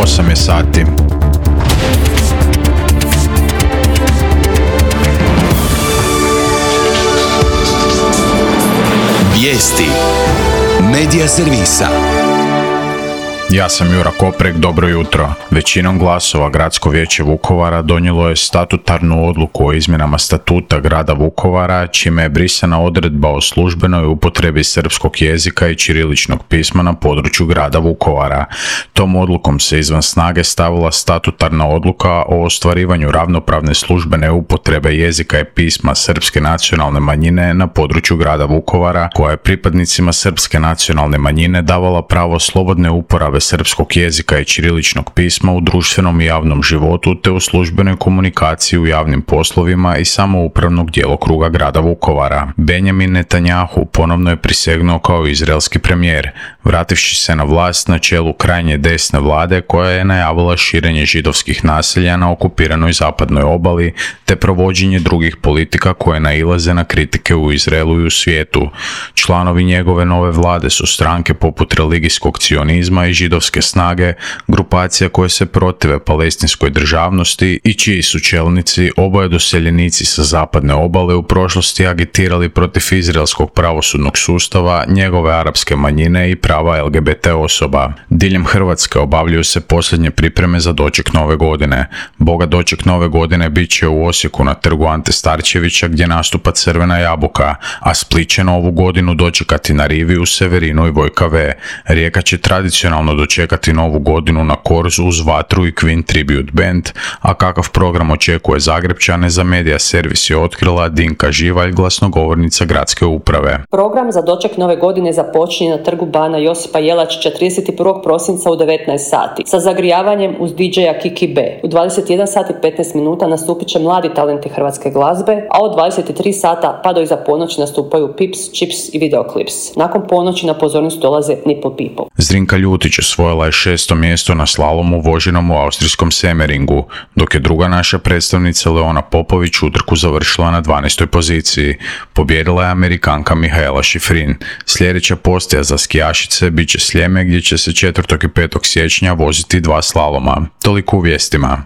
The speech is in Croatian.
8 je sati. Vijesti Medija servisa. Ja sam Jura Koprek, dobro jutro. Većinom glasova Gradsko vijeće Vukovara donijelo je statutarnu odluku o izmjenama statuta grada Vukovara, čime je brisana odredba o službenoj upotrebi srpskog jezika i ćiriličnog pisma na području grada Vukovara. Tom odlukom se izvan snage stavila statutarna odluka o ostvarivanju ravnopravne službene upotrebe jezika i pisma srpske nacionalne manjine na području grada Vukovara, koja je pripadnicima srpske nacionalne manjine davala pravo slobodne uporabe srpskog jezika i ćiriličnog pisma u društvenom i javnom životu te u službenoj komunikaciji u javnim poslovima i samoupravnog djelokruga grada Vukovara. Benjamin Netanjahu ponovno je prisegnuo kao izraelski premijer, vrativši se na vlast na čelu krajnje desne vlade koja je najavila širenje židovskih naselja na okupiranoj zapadnoj obali te provođenje drugih politika koje nailaze na kritike u Izraelu i u svijetu. Članovi njegove nove vlade su stranke poput religijskog cionizma i židovske snage, grupacija koje se protive palestinskoj državnosti i čiji su čelnici, oboje doseljenici sa zapadne obale, u prošlosti agitirali protiv izraelskog pravosudnog sustava, njegove arapske manjine i prava LGBT osoba. Diljem Hrvatske obavljaju se posljednje pripreme za doček nove godine. Boga doček nove godine bit će u Osijeku na trgu Ante Starčevića gdje nastupa Crvena jabuka, a Split će novu godinu dočekati na rivi u Severinu i Vojka V. Rijeka će tradicionalno dočekati novu godinu na Korzu uz Vatru i Queen Tribute Band, a kakav program očekuje Zagrepčane za Medija servis je otkrila Dinka Živalj, glasnogovornica gradske uprave. Program za doček nove godine započinje na trgu Bana Josipa Jelačića 31. prosinca u 19 sati sa zagrijavanjem uz DJ-a Kiki B. U 21 sati 15 minuta nastupit će mladi talenti hrvatske glazbe, a od 23 sata pa do iza ponoći nastupaju Pips, Chips i Videoclips. Nakon ponoći na pozornicu dolaze Nipple People. Zrinka Ljutić osvojila je 6. mjesto na slalomu voženom u austrijskom Semeringu, dok je druga naša predstavnica Leona Popović utrku završila na 12. poziciji. Pobjedila je Amerikanka Mihaela Šifrin. Sljedeća postaja za skijašice bit će Sljeme gdje će se 4. i 5. siječnja voziti 2 slaloma. Toliko u vijestima.